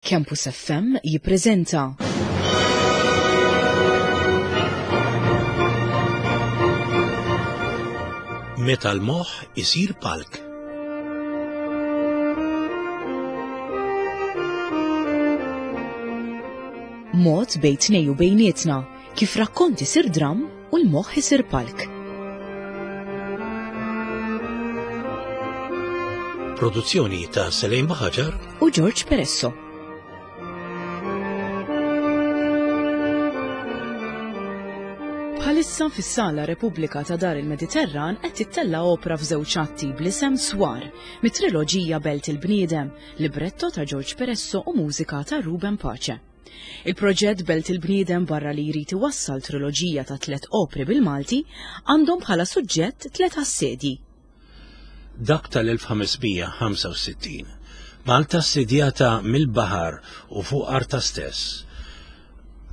Campus FM jippreżenta. Meta l-moħħ isir palk. Mod bejn tnej u bejnietna kif rakkont isir dramm u l-moħħ isir palk. Produzzjoni ta' Selejn Baħaġar u George Peresso. Bħalissa fis-Sala Repubblika ta' Dar il-Mediterran qed tittella' opra f'żewġ atti bl-isem Swar, mit-triloġija Belt il-Bniedem, libretto ta' George Peresso u mużika ta' Ruben Pace. Il-proġett Belt il-Bniedem barra li jrid iwassal triloġija ta' tlet opri bil-Malti, għandhom bħala suġġett tlet assedji. Dak tal-1565, Malta assedjata mill-baħar u fuq artha stess.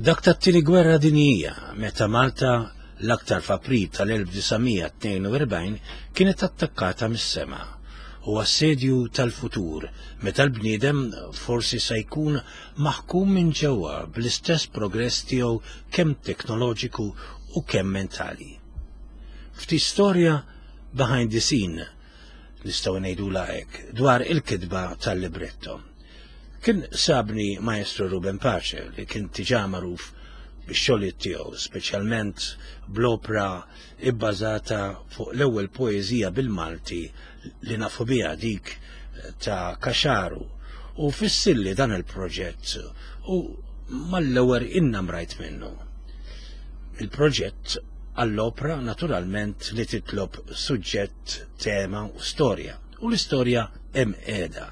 Dak tat-Tieni Gwerra Dinjija, meta Malta l-aktar f'April tal-1942 kienet attakkata mis-sema u assedju tal-futur meta l-bniedem forsi sa jkun maħkum minn ġewwa bl-istess progress tiegħu kemm teknoloġiku u kemm mentali. Ftit storja behind the scene, nistgħu ngħidulha hekk, dwar il-kitba tal-libretto. Kien sabni Maestro Ruben Pace li kien diġà magħruf bix-xogħlijiet tiegħu, speċjalment bl-opra ibbażata fuq l-ewwel poeżija bil-Malti li nafu biha dik ta' Kaxaru u fissilli dan il-proġett u mal-ewwel innamrajt minnu. Il-proġett għall-opra naturalment li titlob suġġett, tema u storja. U l-istorja hemm qiegħda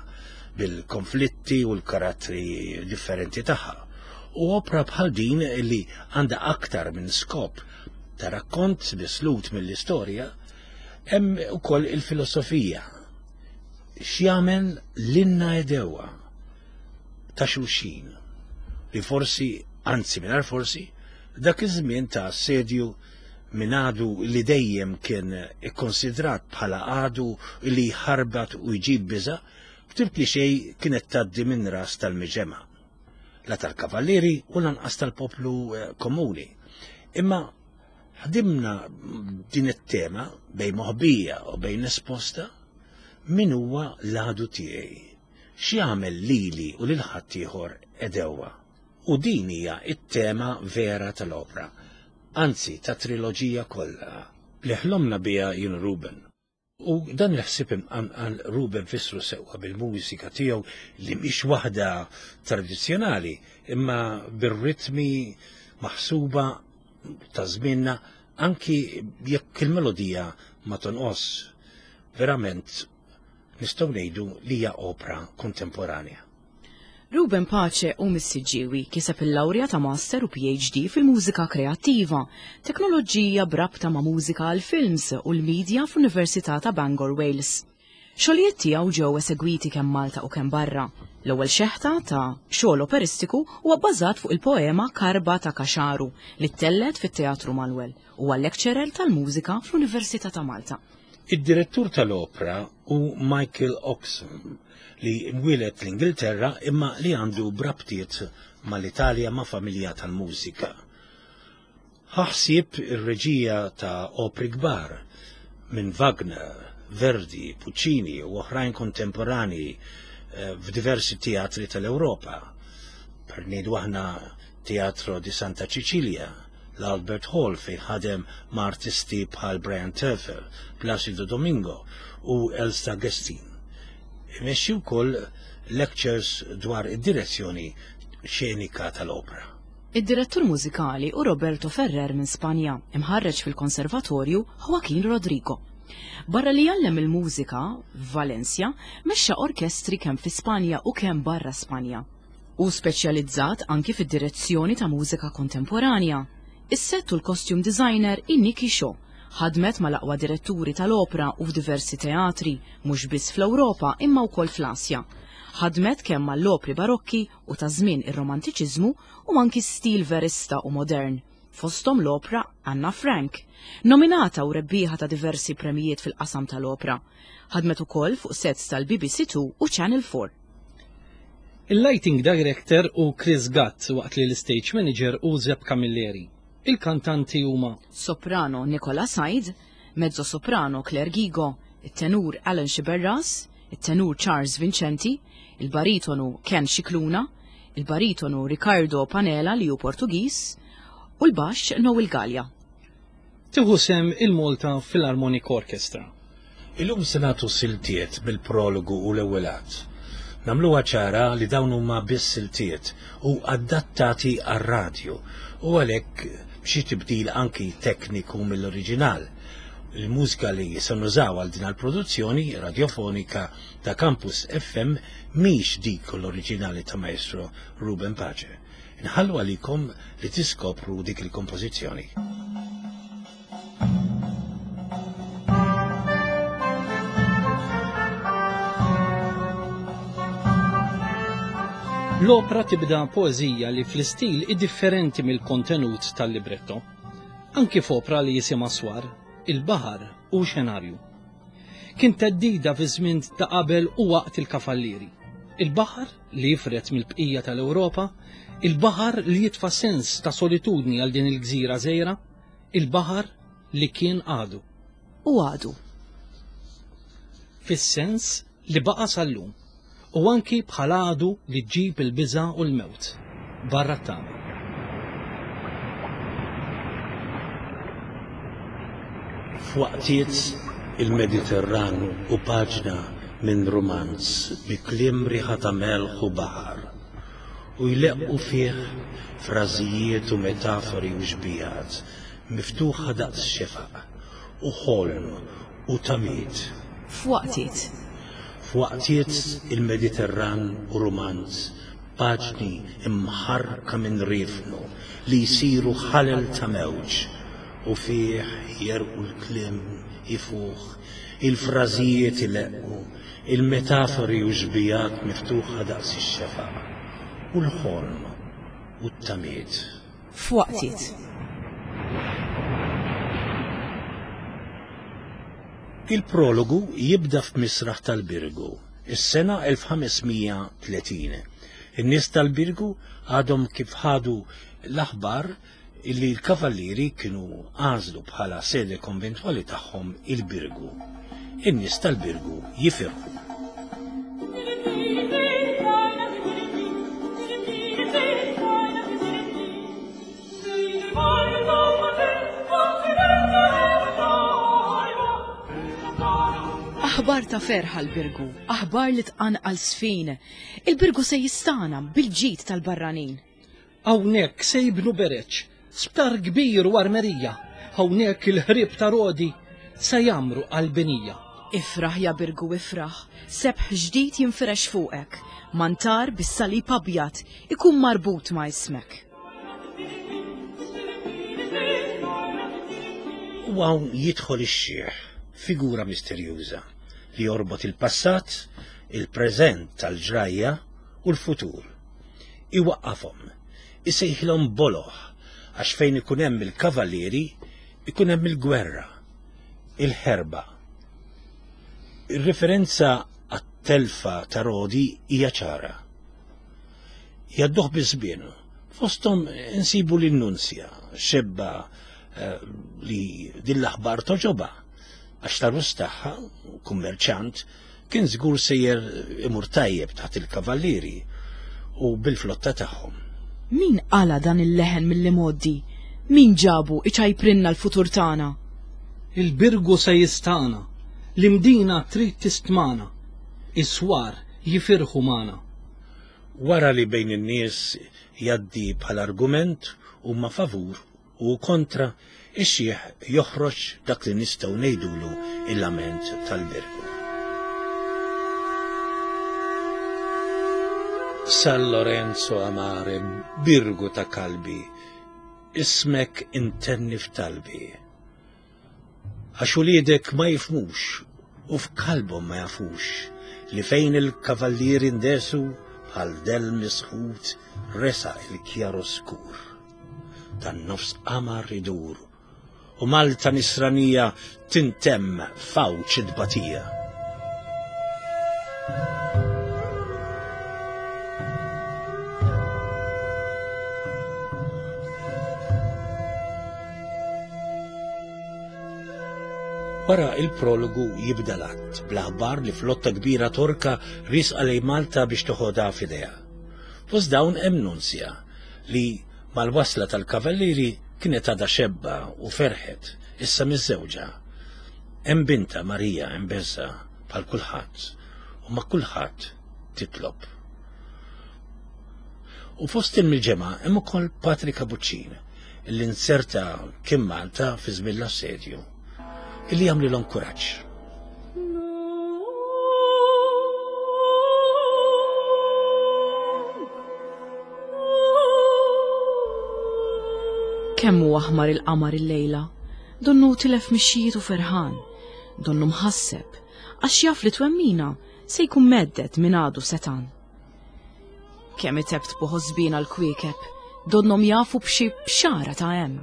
bil-konflitti u l-karattri differenti tagħha. U opra bħal din li għandha aktar minn skop ta' rakkont mislut mill-istorja, hemm ukoll il-filosofija. X'jagħmel lilna edewa ta' xulxin li forsi, anzi mingħajr forsi, dak iż-żmien ta' assedju minn għadu li dejjem kien ikkonsidrat bħala għadu li jħarbat u jġib biża', ftit li xejn kienet tgħaddi minn ras tal-miġemgħa. La tal-kavallieri u lanqas tal-poplu eh, komuni. Imma ħdimna din it-tema bejn moħbija u bejn esposta min huwa l-għadu tiegħi. X'jagħmel lili u lil ħaddieħor edewwa. U din hija t-tema vera tal-opra, anzi tat-triloġija kollha, li ħlomna biha jien u Ruben. U dan il-ħsieb imqanqal Ruben fissru sewwa bil-mużika tiegħu li mhix waħda tradizzjonali, imma bir-ritmi maħsuba ta' żmienna anki jekk il-melodija ma tonqos. Verament nistgħu ngħidu li hija opra kontemporanja. Ruben Pace hu mis-Siġġiewi, kiseb il-lawrja ta' Master u PhD fil-Mużika Kreattiva, Teknoloġija b'rabta ma' mużika għall-films u l-media fl-Università ta' Bangor, Wales. Xogħlijiet tiegħu ġew esegwiti kemm Malta u kemm barra. L-ewwel xeħta ta' xogħol operistiku huwa bbażat fuq il-poema Karba ta' Kaxaru li ttellgħet fit-Teatru Manoel. Huwa lecturer tal-mużika fl-Università ta' Malta. Id-direttur tal-opra hu Michael Oxon li mwieled l-Ingilterra imma li għandu brabtiet mal-Italja ma' familja tal-mużika. Ħa ħsieb ir-reġija ta' opri kbar minn Wagner, Verdi, Puccini u oħrajn kontemporanji eh, f'diversi teatri tal-Ewropa. Per ngħidu aħna Teatro di Santa Cecilia, l-Albert Hall fejn ħadem ma' artisti bħal Brian Terfel, Placido Domingo u Elsa Gestin. Imexxi wkoll lectures dwar id-direzzjoni xenika tal-opra. Id-direttur mużikali hu Roberto Ferrer minn Spanja, imħarreġ fil-Konservatorju Joaquin Rodrigo. Barra li jgħallem il-mużika f'Valencia, mexxa orkestri kemm fi Spanja u kemm barra Spanja. Hu speċjalizzat anki fid-direzzjoni ta' mużika kontemporanja. Is-sett u l-costume designer hi Nikki Shaw. Ħadmet mal-aqwa diretturi tal-opra u f'diversi teatri, mhux biss fl-Ewropa imma wkoll fl-Asja. Ħadmet kemm mal-opri barokki u ta' żmien ir-Romantiċiżmu u anki stil verista u modern, fosthom l-opra Anna Frank, nominata u rebbieħa ta' diversi premijiet fil-qasam tal-opra. Ħadmet ukoll fuq sets tal-BBC Two u Channel 4. Il-lighting director hu Chris Gatt waqt li l-istage manager hu Zeb Camilleri. Il-kantanti huma. Soprano Nicola Said, mezzo soprano Claire Ghigo, it-tenur Alan Sciberras, it-tenur Charles Vincenti, il-baritonu Ken Scicluna, il-baritonu Ricardo Panela li hu Portugiż, u l-baxx Noel Galea. Tieħu sehem il-Malta Philharmonic Orchestra. Illum se nagħtu siltiet mill-prologu u l-ewwel att. Nagħmluha ċara li dawn huma biss siltiet u adattati għar-radju u għalhekk b'xi tibdil anki tekniku mill-oriġinal. Il-mużika li se nużaw għal din l-produzzjoni radjofonika ta' Campus FM mhix dik l-oriġinali ta' Maestro Ruben Pace. Inħallu għalikom li tiskopru dik il-kompożizzjoni. L-opra tibda poeżija li fl-istil hi differenti mill-kontenut tal-libretto. Anki f'opra li jisimha Swar, il-baħar hu xenarju. Kien theddida fi żmien ta' qabel u waqt il-Kafallieri. Il-baħar li jifred mill-bqija tal-Ewropa, il-baħar li jitfa' sens ta' solitudni għal din il-gżira żgħira, il-baħar li kien għadu. U għadu. Fis-sens li baqa' sal-lum, u anki bħal għadu li ġġib il-biża' u l-mewt, barra t-tama. F'waqtiet il-Mediterran hu paġna minn rumanz bi kliem riħa ta' melħ u baħar, u jleqqu fih frażijiet u metafori u xbihat miftuħa daqs xefaq, u ħolm u tamiet. F'waqtiet. F'waqtiet il-Mediterran hu rumanz Paġni mħarrka minn riefnu li jsiru ħalel ta' mewġ, u fih jerqu l-kliem ifuħ, il-frażijiet ileqqu, il-metafori u xbigħat miftuħa daqs ix-xefaq, u l-ħolm u t-tamiet. F'waqtiet. Il-prologu jibda f'misraħ tal-Birgu, is-sena 1530. In-nies tal-Birgu għadhom kif ħadu l-aħbar illi l-kavallieri kienu għażlu bħala sede konventwali tagħhom il-Birgu. In-nies tal-Birgu jifirħu. Aħbar ta' ferħ għall-Birgu, aħbar li tqanqal sfin. Il-Birgu se jistana bil-ġid tal-barranin. Hawnhekk se jibnu bereġ, sptar kbir u armerija. Hawnhekk il-ħrieb ta' Rodi se jgħammru qalbinija. Ifraħ ja Birgu ifraħ, sebħ ġdid jinfirex fuqek, mantar bis-salib abjad ikun marbut ma' ismek. U hawn jidħol ix-xiħ, figura misterjuża li jorbot il-passat, il-preżent tal-ġrajja u l-futur. Iwaqqafhom, isejħilhom boloh għax fejn ikun hemm il-kavallieri ikun hemm il-gwerra, il-ħerba. Ir-riferenza għat-telfa ta' Rodi hija ċara. Jgħadduh biż-żmien, fosthom insibu lin-Nunzja, xebba eh, li din l-aħbar toġobha għax l-arus tagħha, kummerċant, kien żgur sejjer imur tajjeb taħt il-kavallieri u bil-flotta tagħhom. Min qala' dan il-leħen mill-imgħoddi? Min ġabu iċajprinna l-futur tagħna? Il-Birgu se jistagħna, l-Imdina trid tistmana, is-swar jifirħu magħna. Wara li bejn in-nies jgħaddi bħala argument huma favur u kontra, ix-xiħ joħroġ dak li nistgħu ngħidulu il-lament tal-Birgu. San Lorenzo Amare, Birgu ta' kalbi, ismek intenni f'talbi. Għax uliedek ma jifhmux u f'kalbhom ma jafux li fejn il-kavallieri ndesu bħal dell misħut resaq il-kjaroskur tan-nofs qamar idur u Malta nisranija tintemm f'għawġ it-tbatija. Wara il-prologu jibda l-att bl-aħbar li flotta kbira Torka riesqa lejn Malta biex toħodha f'idejha. Fost dawn hemm Nunzja li mal-wasla tal-kavallieri kienet għadha xebba u ferħet, issa miżżewġa. Hemm bintha Marija imbeżża' bħal kulħadd u ma' kulħadd titlob. U fost il-miġemgħa hemm ukoll Patri Kabuċċin li nzerta kien Malta fi żmien l-assedju illi jagħmlilhom kuraġġ. Kemm hu aħmar il-qamar illejla, donnu tilef mixjietu ferħan, donnu mħasseb, għax jaf li twemmina se jkun medded minn għadu setan. Kemm itebtbu ħosbina l-kwiekeb, donnhom jafu b'xi bxara ta' hemm.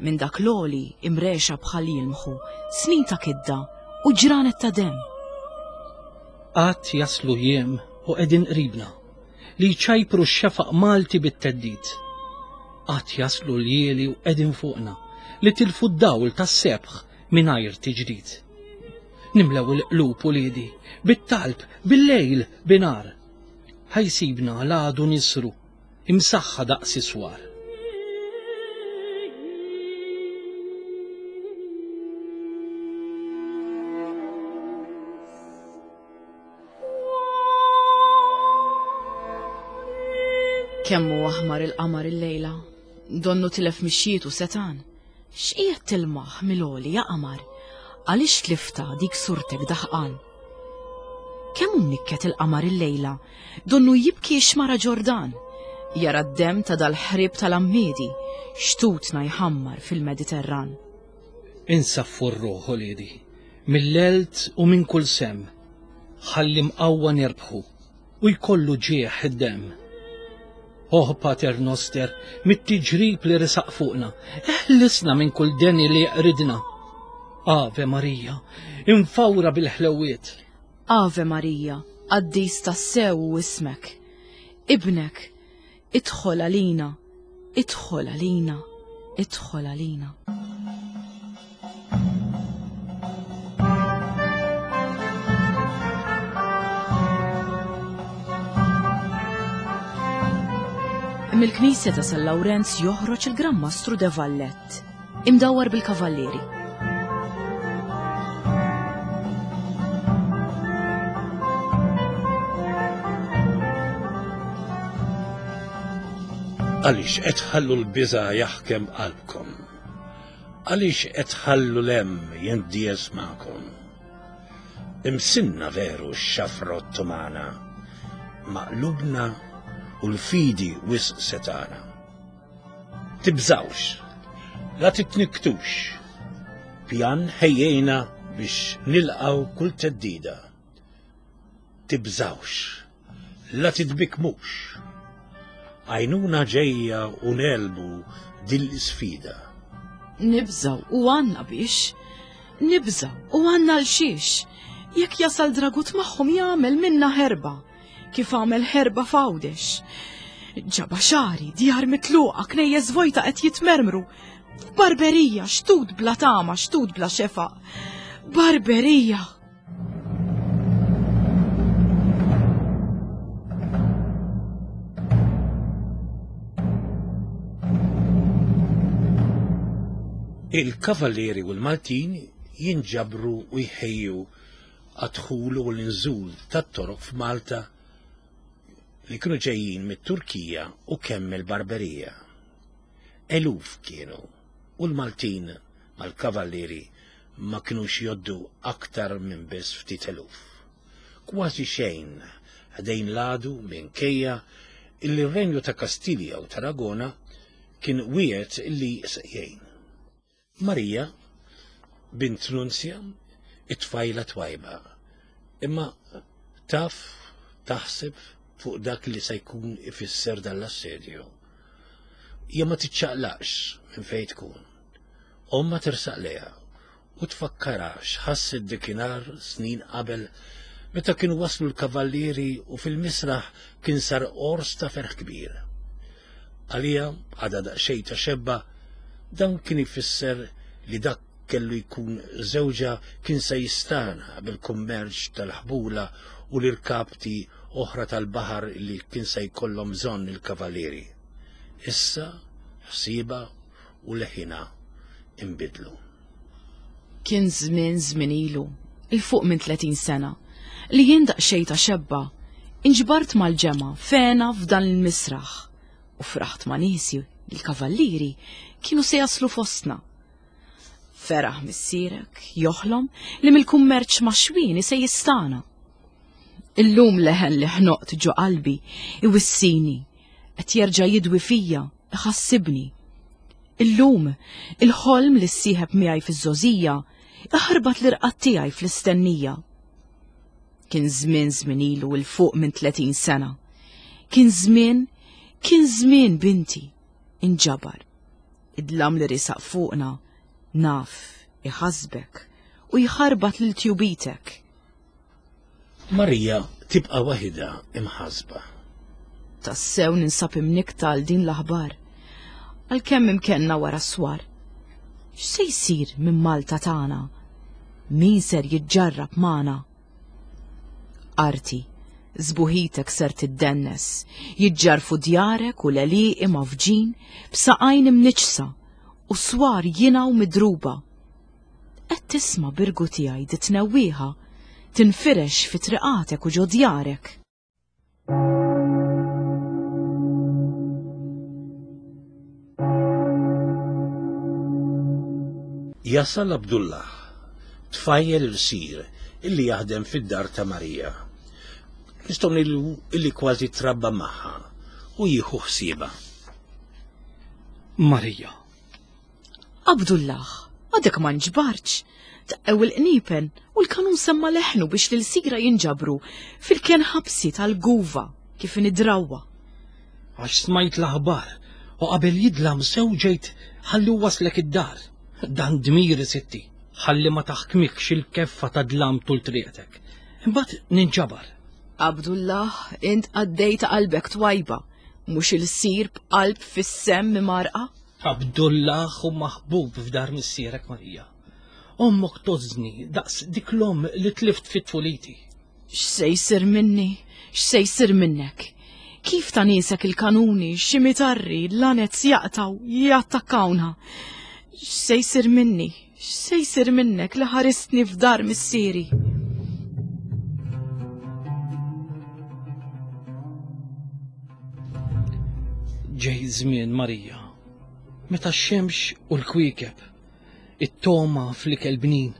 Minn dak l-għoli imrexa bħal jilmħu snin ta' kidda u ġranet ta' demm. Għad jaslu jiem u qegħdin qribna li jċajpru x-xefaq Malti bit-theddid. Għad jaslu ljieli u qegħdin fuqna li tilfu d-dawl tas-sebħ mingħajr tiġdid. Nimlew il-qlub uliedi bit-talb bil-lejl binhar. Ħa jsibna l-għadu nisru imsaħħa daqs iswar. Kemm hu aħmar il-qamar illejla, donnu tilef mixjietu setan. X'qiegħed tilmaħ mill-għoli ja qamar? Għaliex tliftha dik surtek daħqan? Kemm hu mnikket il-qamar illejla, donnu jibki x-xmara Ġordan. Jara d-demm ta' dal-ħrieb tal-għammiedi, xtutna jħammar fil-Mediterran. Insaffu r-ruħ, uliedi, mill-għelt u minn kull semm, ħalli mqawwa nirbħu u jkollu ġieħ id-demm. Oh Pater Noster, mit-tiġrib li resaq fuqna, eħlisna minn kull deni li jeqridna. Ave Marija, imfawra bil-ħlewiet. Ave Marija, qaddis tassew hu ismek. Ibnek, idħol għalina, idħol għalina, idħol għalina. Mill-knisja ta' San Lawrenz joħroġ il-Gran Mastru de Vallett, imdawwar bil-kavallieri. Għaliex qed tħallu l-biża' jaħkem qalbkom? Għaliex qed tħallu l-hemm jindies magħkom? Imsinna veru x-xafra Ottomana, ma qlubna u l-fidi wisq setgħana. Tibżgħux, la titnikktux, pjan ħejjejna biex nilqgħu kull theddida. Tibżgħux, la titbikkmux. Għajnuna ġejja u negħlbu din l-isfida. Nibżgħu u għandna biex. Nibżgħu u għandna għal xiex. Jekk jasal Dragut magħhom jagħmel minna ħerba, kif għamel ħerba f'Għawdex. Ġaba xagħri, djar mitluqa, knejjes vojta qed jitmermru. Barberija, xtut bla tama, xtut bla xefaq. Barberija! Il-Kavallieri u l-Maltin jinġabru u jħejju għad-dħul u l-inżul tat-Torok f'Malta li kienu ġejjin mit-Turkija u kemm mill-Barberija. Eluf kienu u l-Maltin mal-Kavallieri ma kinux jgħoddu aktar minn biss ftit eluf. Kważi xejn ħdejn l-għadu minkejja illi r-Renju ta' Kastilja u Tarragona kien wiegħed illi se jgħin. Marija, bint Nunzja, it-tfajla twajba, imma taf taħseb fuq dak li se jkun ifisser dan l-assedju. Hija ma tiċċaqlaqx minn fejn tkun. Ommha tersaq lejha u tfakkarha x'ħasset dikinhar snin qabel meta kienu waslu l-kavallieri u fil-misraħ kien sar għors ta' ferħ kbir. Għaliha, għadha daqsxejn ta' xebba, dan kien ifisser li dak kellu jkun żewġha kien se jistagħna bil-kummerċ tal-ħbula u l-irkapti oħra tal-baħar li kien se jkollhom bżonn il-kavalieri. Issa ħsiebha u leħinha inbidlu. Kien żmien żmien ilu, 'il fuq minn 30 sena, li jien daqsxejn ta' xebba, inġbart mal-ġemgħa f'hena f'dan il-misraħ u fraħt ma' niesi li l-kavallieri kienu se jaslu fostna. Feraħ missierek joħlom li mill-kummerċ ma' xwieni se jistana. Illum leħen li ħnoqt ġo qalbi iwissini, qed jerġa' jidwi fija, iħassibni. Illum, il-ħolm li ssieħeb miegħi fiż-żgħożija iħarbat l-irqad tiegħi fl-istennija. Kien żmien żmien ilu 'l fuq minn 30 sena. Kien żmien, kien żmien binti, inġabar. Id-dlam li risaq fuqna naf iħassbek u jħarbat lil tjubitek. Marija tibqa' waħidha imħassba. Tassew ninsab imnikkta għal din l-aħbar. Għalkemm imkenna wara s-swar. X'se jsir minn Malta tagħna? Min ser jiġġarrab magħna? Arti, sbuħitek ser tiddennes, jiġġarfu djarek u l-għelieqi mgħaffġin b'saqajn imniġġsa u swar jingħu midruba. Qed tisma' birgu tiegħi di tnewwieħa tinfirex fi triqatek u ġo djarek. Jasal Abdullah, tfajjel ilsir illi jaħdem fid-dar ta' Marija. Nistgħu ngħidu illi kważi trabba magħha u jieħu ħsiebha. Marija. Abdullah, għadek ma nġbartx. Daqqew il-qniepen u l-kanun semma leħnu biex l-ilsira jinġabru fil-kenn ħabsi tal-guva kif inhi drawwa. Għax smajt l-aħbar u qabel jidlam sew ġejt ħalli waslek id-dar. Dan dmiri sitti, ħalli ma taħkmikx il-keffa ta' dlam tul triqtek. Imbagħad ninġabar. Abdullah, int qaddej ta' qalbek twajba, mhux ilsir b'qalb fis-semm imgħarrqa. Abdullah hu maħbub f'dar missierek Marija. Ommok tgħożżni daqs dik l-omm li tlift fi tfuliti. X'se jsir minni? X'se jsir minnek? Kif ta' niesek il-kanuni, xi mitarri, lanez jaqtgħu, jattakkawna? X'se jsir minni? X'se jsir minnek li ħaristni f'dar missieri? Ġej żmien Marija, meta x-xemx u l-kwiekeb, it-togħma fl-ikel bnin,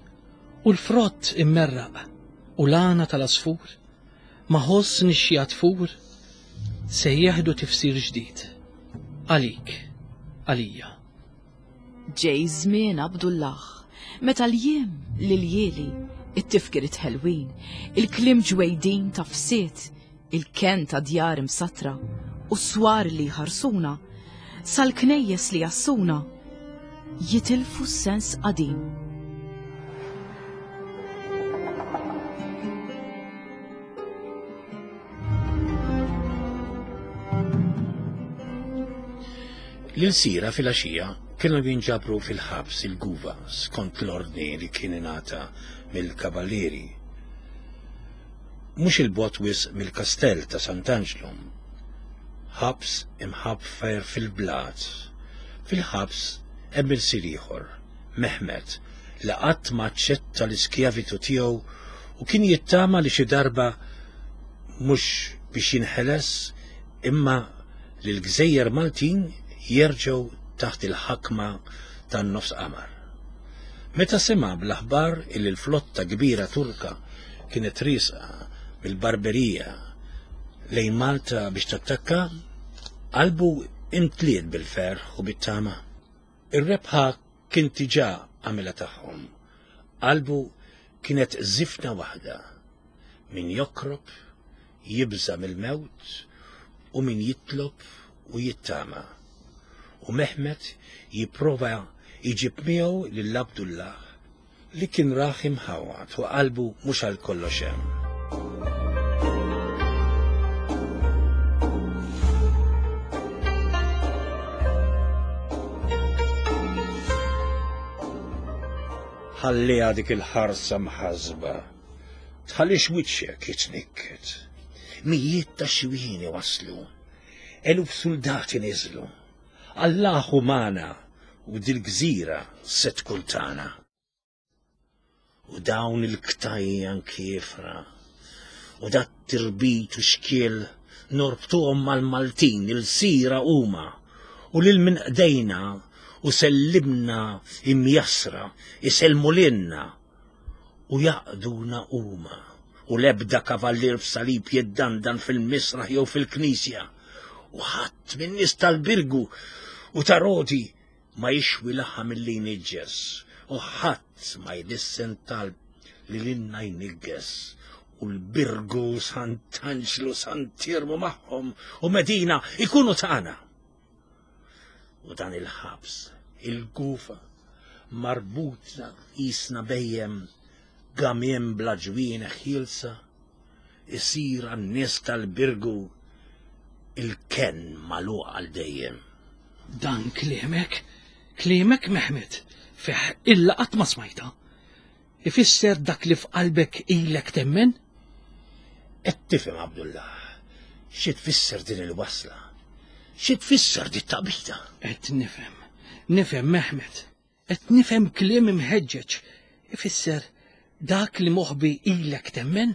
u l-frott immerraq, u l-għana tal-għasfur, ma' ħoss nixxiegħa tfur, se jieħdu tifsir ġdid. Għalik, għalija. Ġej żmien Abdullah, meta l-jiem, l-iljieli, it-tifkiriet ħelwin, il-kliem ġwejdin ta' fsied, il-kenn ta' djar imsattra u s-swar li jħarsuna, sal-knejjes li jassuna, jitilfu s-sens qadim. L-ilsira filgħaxija kienu jinġabru fil-ħabs il-Guva skont l-ordni li kien ingħata mill-Kavallieri. Mhux 'il bogħod wisq mill-Kastell ta' Sant'Anġlu. Ħabs imħaffer fil-blat. Fil-ħabs hemm ilsir ieħor, Mehmet, li qatt ma aċċetta l-iskjavitu tiegħu u kien jittama li xi darba mhux biex jinħeles imma li l-gżejjer Maltin jerġgħu taħt il-ħakma tan-nofs qamar. Meta sema' bl-aħbar illi l-flotta kbira Turka kienet riesqa mill-Barberija lejn Malta biex tattakka, qalbu imtliet bil-ferħ u bit-tama. Ir-rebħa kien diġà għamilha tagħhom. Qalbu kienet żifna waħda. Min jokrob, jibża' mill-mewt u min jitlob u jittama. U Mehmet jipprova jġib miegħu lil Abdullah li kien rah imħawwad u qalbu mhux għal kollox hemm. Ħalliha dik il-ħarsa mħassba. Tħallix wiċċek jitnikket. Mijiet ta' xwieni waslu. Eluf suldati niżlu. Allah hu magħna u dil-gżira se tkun tagħna. U dawn il-ktajjan kiefra u dat tirbit u xkiel norbtuhom mal-Maltin il-sira huma u lil min qdejna u sellimna imjassra isellmu lilna u jaqduna huma u l-ebda kavallier b'salib jiddandan fil-misraħ jew fil-knisja u ħadd min-nies tal-Birgu u ta' Rodi ma jixwi laħam milli jniġġes u ħadd ma jlissen talb li lilna jnigges u l-Birgu Sant'Anġlu Sant'Iermu magħhom u Medina ikunu tagħna. U dan il-ħabs, il-gufa, marbutna qisna bejjem gamiem bla ġwieneħ ħielsa, isir għan-nies tal-Birgu il-kenn magħluq għal dejjem. Dan kliemek, kliemek Mehmet, fih illa qatt ma smajta. Ifisser dak li f'qalbek ilek temmen? Qed tifhem Abdullah, xi tfisser din il-wasla? Xi tfisser dit taqbida? Qed nifhem, nifhem Mehmet, qed nifhem kliem imħeġġeġ. Ifisser dak li moħbi ilek temmen?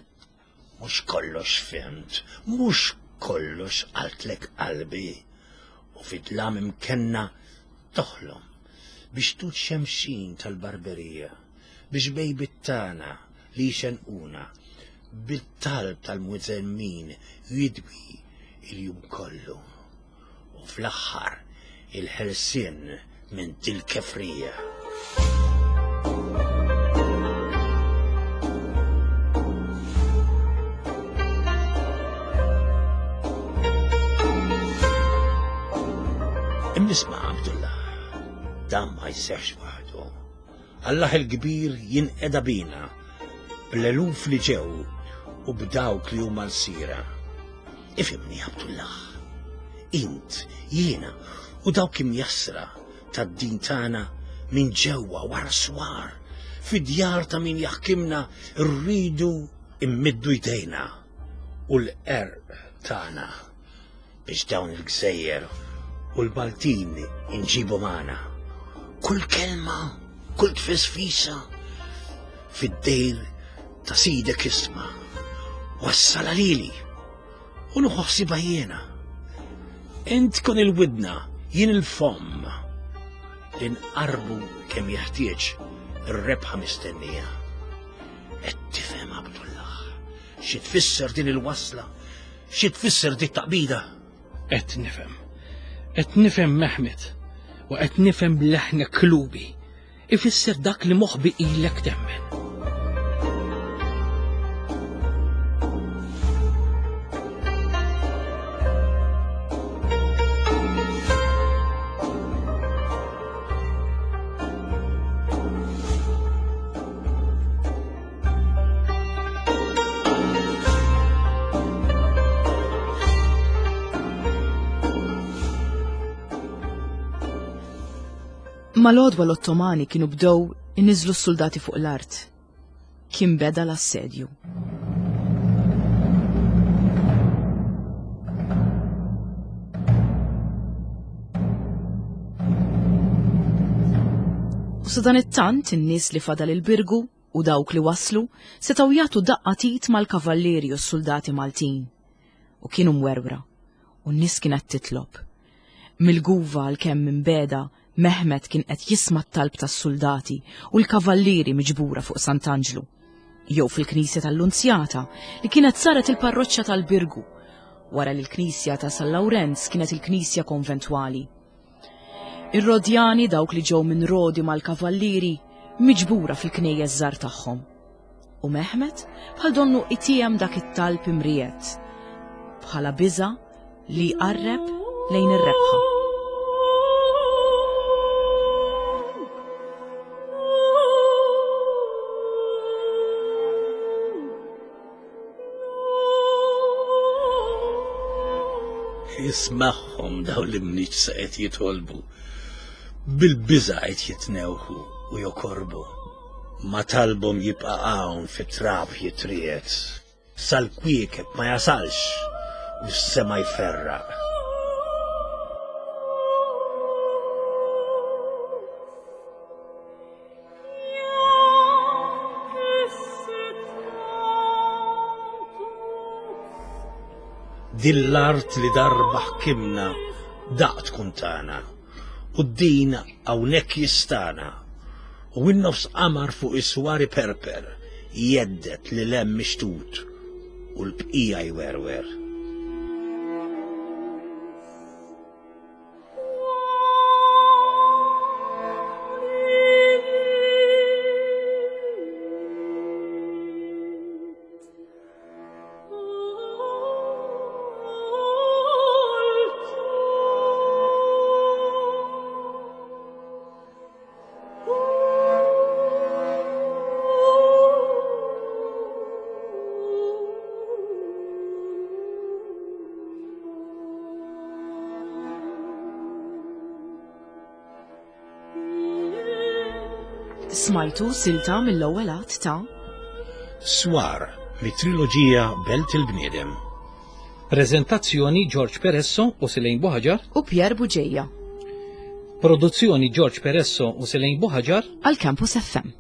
Mhux kollox fhimt, mhux kollox qaltlek qalbi. U fid-dlam imkenna toħlom biex tut xemxin tal-barberija, biex bejbit tagħna li jxenquna bit-talb tal-mwiżemmin jidwi il-jum kollu. U fl-aħħar il-ħelsien minn dil-kefrija. Imnisma' Abdullah, dan ma jseħx waħdu. Allah il-kbir jinqeda bina bl-eluf li ġew u b'dawk li huma lsira. Ifhimni Abdullah, int, jiena u dawk imjassra tad-din tagħna minn ġewwa wara swar, fid-djar ta' min jaħkimna rridu immiddu jdejna u l-qerq tagħna biex dawn il-gżejjer u l-Maltin inġibu magħna. Kull kelma, kull tfisfisa fid-dejr ta' sidek isma' wassala lili u nieħu ħsiebha jiena. Int kun il-widna, jien il-fomm li nqarbu kemm jeħtieġ ir-rebħa mistennija. Qed tifhem Abdullah xi tfisser din il-wasla, xi tfisser dit taqbida? Qed nifhem. Qed nifhem Mehmet u qed nifhem leħnek klubi. Ifisser dak li moħbi ilek temmen. Mal-għodwa l-Ottomani kienu bdew iniżlu s-suldati fuq l-art. Kien beda l-assedju. U sadanittant in-nies li fadal il-Birgu u dawk li waslu setgħu jagħtu daqqa t'id mal-kavallieri u s-suldati Maltin. U kienu mwerwra, u n-nies kienet titlob. Mill-guva għalkemm imbegħda, Mehmet kien qed jisma' t-talb tas-suldati u l-kavallieri miġbura fuq Sant'Anġlu, jew fil-knisja tal-Lunzjata li kienet saret il-parroċċa tal-Birgu, wara li l-knisja ta' San Lawrenz kienet il-knisja konventwali. Ir-Rodjani dawk li ġew minn Rodi mal-kavallieri miġbura fil-knejjes żgħar tagħhom. U Mehmet bħal donnu itiem dak it-talb imriegħed bħala biża' li jqarreb lejn ir-rebħa. Ismagħhom dawn l-imniġsa qed jitolbu. Bil-biża' qed jitnewħu u jokorbu. Ma talbhom jibqa' hawn fit-trab jitriegħed, sal-kwiekeb ma jasalx u s-sema jferraq. Din l-art li darba ħkimna daqt tkun tagħna u d-din hawnhekk jistana u in-nofs qamar fuq is-swar iperper jhedded lil hemm mixtut u l-bqija jwerwer. Smajtu silta mill-ewwel att ta' Swar mit-triloġija Belt il-Bniedem. Preżentazzjoni George Peresso u Silejn Buħaġar u Pierre Buġeja. Produzzjoni George Peresso u Silejn Buħaġar għal Campus FM.